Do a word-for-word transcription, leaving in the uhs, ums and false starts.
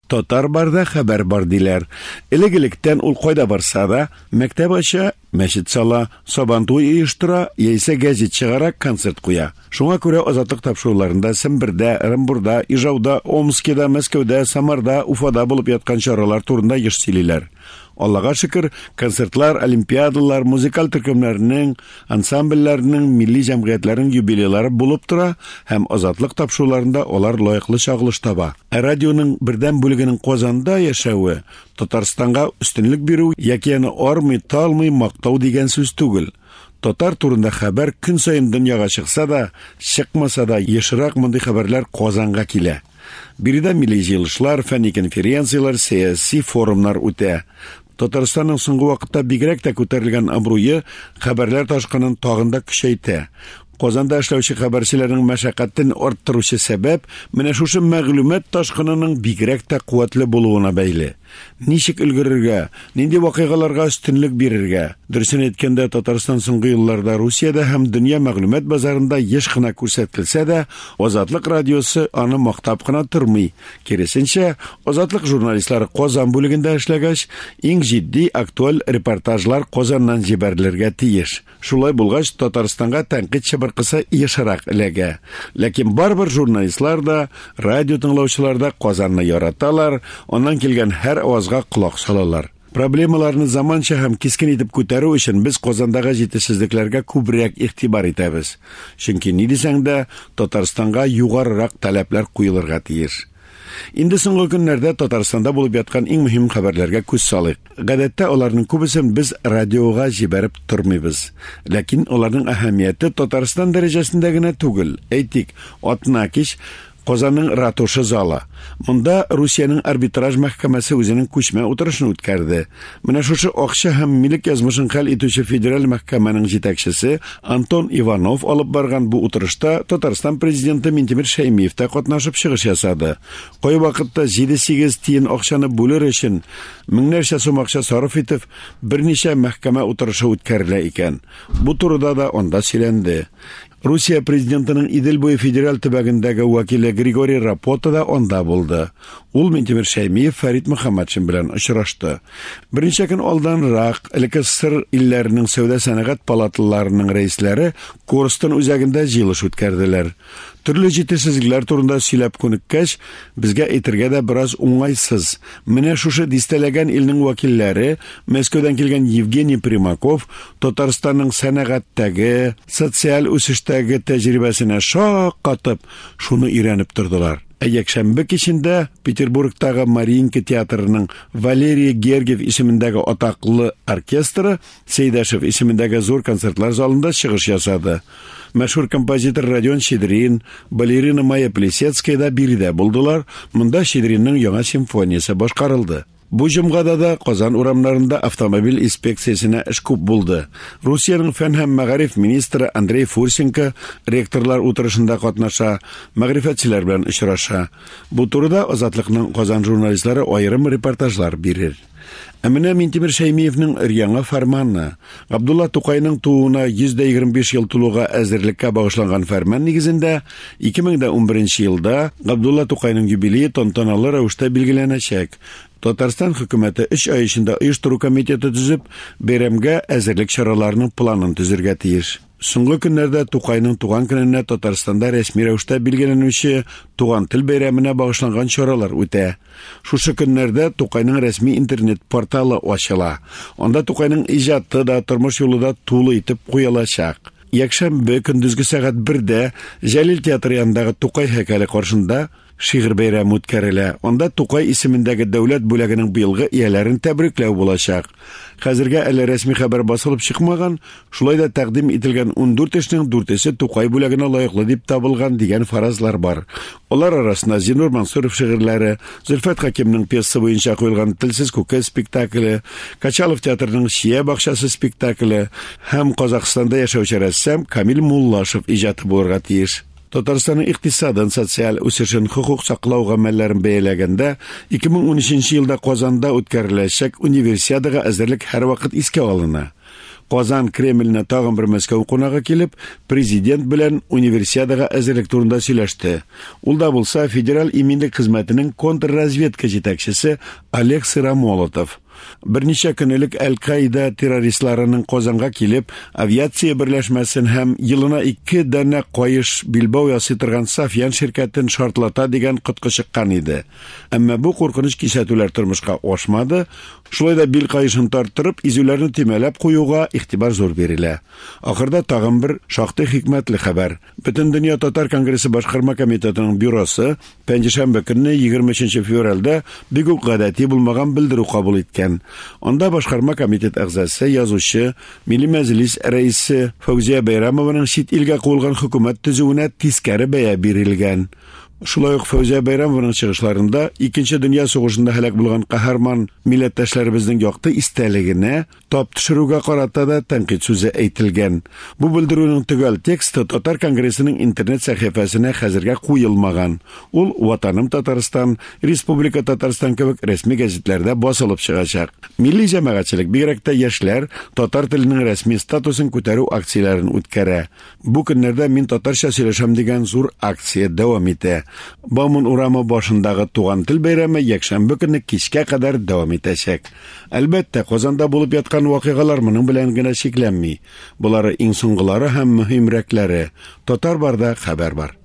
Татар барда хәбәр бар диләр. Элек-электән ул кайда барса да, мәктәп ача, мәчет сала, сабантуй оештыра, яисә гәзит чыгара, концерт куя. Шуңа күрә Азатлык тапшыруларында Сембердә, Ырымбурда, Ижауда, Омскида, Мәскәүдә, Самарда, Уфада булып яткан чаралар турында еш сөйлиләр. Аллага шөкер, концертлар, олимпиадалар, музыкаль төркемнәрнең, ансамбльләрнең, милли җәмгыятьләрнең юбилейлары булып тора һәм Азатлык тапшыруларында алар лаеклы чагылыш таба. Ә радионың бердәм бүлегенең Казанда яшәве Татарстанга өстенлек бирү яки аны армый, талмый мактау дигән сүз түгел. Татар турында хәбәр көн саен дөньяга чыкса да, чыкмаса да, ешрак мондый хәбәрләр Казанга килә. Биредә милли җыелышлар, фәнни конференцияләр, сәяси форумнар үтә. Татарстанның соңгы вакытта бигрәк тә күтәрелгән абруе хәбәрләр ташкынын тагын да көчәйтә. Казанда эшләүче хәбәрчеләрнең мәшәкатен арттыручы сәбәп менә шушы мәгълүмат ташкынының бигрәк тә куәтле булуына бәйле. Ничек өлгерергә, нинди вакыйгаларга өстенлек бирергә? Дөресен әйткәндә, Татарстан соңгы елларда Русиядә һәм дөнья мәгълүмат базарында еш кына күрсәтелсә дә, Азатлык радиосы аны мактап кына тормый. Киресенчә, Азатлык журналистлары Казан бүлегендә эшләгәч, иң җитди актуаль репортажлар Казаннан җибәрелергә тиеш. Шулай булгач, Татарстанга тәнкыйть чыбыркысы ешрак эләгә. Ләкин барыбер журналистлар да, радио тыңлаучылар да Казанны яраталар, аннан килгән һәр авазга колак салалар. Проблемаларны заманча һәм кискен итеп күтәрү өчен без Казандагы җитешсезлекләргә күбрәк игътибар итәбез. Чөнки ни дисәң дә, Татарстанга югарырак таләпләр куелырга тиеш. Инде соңгы көннәрдә Татарстанда булып яткан иң мөһим хәбәрләргә күз салыйк. Гадәттә аларның күбесен без радиога җибәреп тормыйбыз. Ләкин аларның әһәмияте Татарстан дәрәҗәсендә генә түгел. Әйтик, атна кич Казанның ратуша залы. Монда Русиянең арбитраж мәхкәмәсе үзенең күчмә утырышын үткәрде. Менә шушы акча һәм милек язмышын хәл итүче федераль мәхкәмәнең җитәкчесе Антон Иванов алып барган бу утырышта Татарстан президенты Минтимер Шәймиев тә катнашып чыгыш ясады. Кай вакытта җиде-сигез тиен акчаны бүлер өчен меңнәрчә сум акча сарыф итеп, берничә мәхкәмә утырышы үткәрелә икән. Бу турыда да анда сөйләнде. Русия президентының Идел буе федераль төбәгендәге вәкиле Григорий Рапота да анда булды. Ул Минтимер Шәймиев Фәрит Мөхәммәтшин белән очрашты. Берничә көн алданрак элекке СССР илләренең сәүдә-сәнәгать палаталарының рәисләре Корстон үзәгендә җыелыш үткәрделәр. Төрле җитешсезлекләр турында сөйләп күнеккәч, безгә әйтергә дә бераз уңайсыз. Менә шушы дистәләгән илнең вәкилләре, Мәскәүдән килгән Евгений Примаков Татарстанның сәнәгатьтәге, социаль үсештәге тәҗрибәсенә шаккатып, шуны өйрәнеп тордылар. Ә якшәмбе кичендә Петербургтагы Мариинка театрының Валерий Гергиев исемендәге атаклы оркестры Сәйдәшев исемендәге зур концертлар залында чыгыш ясады. Мәшһүр композитор Родион Щедрин, балерина Майя Плисецкая да биредә булдылар. Монда Щедринның яңа симфониясе башкарылды. Бу җомгада да Казан урамнарында автомобиль инспекциясенә эш күп булды. Русиянең фән һәм мәгариф министры Андрей Фурсенко ректорлар утырышында катнаша, мәгърифәтчеләр белән очраша. Бу турыда Азатлыкның Казан журналистлары аерым репортажлар бирер. Ә менә Минтимер Шәймиевнең өр-яңа фәрманы. Габдулла Тукайның тууына йөз дә егерме биш ел тулуга әзерлеккә багышланган фәрман нигезендә ике мең дә унберенче елда Габдулла Тукайның юбилее тантаналы рәвештә билгеләнәчәк. Татарстан хөкүмәте өч ай эчендә оештыру комитеты төзеп, бәйрәмгә әзерлек чараларының планын төзергә тиеш. Соңгы көннәрдә Тукайның туган көненә Татарстанда рәсми рәвештә билгеләнүче Туган тел бәйрәменә багышланган чаралар үтә. Шушы көннәрдә Тукайның рәсми интернет порталы ачыла. Анда Тукайның иҗаты да, тормыш юлы да тулы итеп куелачак. Якшәмбе көндезге сәгать бердә Җәлил театры янындагы Тукай һәйкәле каршында шигырь бәйрәме үткәрелә. Анда Тукай исемендәге дәүләт бүләгенең быелгы ияләрен тәбрикләү булачак. Хәзергә әле рәсми хәбәр басылып чыкмаган, шулай да тәкъдим ителгән ундүрт эшнең дүртесе Тукай бүләгенә лаеклы дип табылган дигән фаразлар бар. Алар арасында Зиннур Мансуров шигырьләре, Зөлфәт Хәкимнең пьеса буенча куелган Телсез күке спектакле, Качалов театрының Чия бакчасы спектакле һәм Казахстанда яшәүче рәссам Камил Муллашев иҗаты булырга тиеш. Татарстанның икътисадын, социаль үсешен, хокук саклау гамәлләрен бәяләгәндә ике мең унөченче елда Казанда үткәреләчәк универсиадага әзерлек һәрвакыт искә алына. Казан Кремленә тагын бер Мәскәү кунагы килеп, президент белән универсиадага әзерлек турында сөйләште. Ул да булса Федераль иминлек хезмәтенең контрразведка җитәкчесе Олег Сыромолотов. Берничә көн элек Әл-Каида террористларының Казанга килеп, авиация берләшмәсен һәм елына ике данә каеш билбау ясый торган Сафьян ширкәтен шартлата дигән коткы чыккан иде. Әмма бу куркыныч кисәтүләр тормышка ашмады. Шулай да бил каешын тарттырып, изүләрне төймәләп куюга игътибар зур бирелә. Ахырда тагын бер шактый хикмәтле хәбәр. Бөтендөнья татар конгрессы башкарма комитетының бюросы пәнҗешәмбе көнне егерме өченче февральдә бик үк гадәти булмаган белдерү кабул иткән. Анда башкарма комитет әгъзасы, язучы, Милли Мәҗлис рәисе Фәүзия Бәйрәмованың чит илгә куелган хөкүмәт төзүенә тискәре бәя бирелгән. Шулай ук Фәүзия Бәйрәмованың чыгышларында Икенче дөнья сугышында һәлак булган каһарман милләттәшләребезнең якты истәлегенә тап төшерүгә карата да тәнкыйть сүзе әйтелгән. Бу белдерүнең төгәл тексты Татар конгрессының интернет сәхифәсенә хәзергә куелмаган. Ул Ватаным Татарстан, Республика Татарстан кебек рәсми гәзитләрдә басылып чыгачак. Милли җәмәгатьчелек, бигрәк тә яшьләр, татар теленең рәсми статусын күтәрү акцияләрен үткәрә. Бу көннәрдә Мин татарча сөйләшәм дигән зур акция дәвам итә. Бауман урамы башындагы туган тел бәйрәме якшәмбе көнне кичкә кадәр дәвам итәчәк. Әлбәттә, Казанда булып яткан вакыйгалар моның белән генә чикләнми. Болары иң соңгылары һәм мөһимрәкләре. Татар барда хәбәр бар.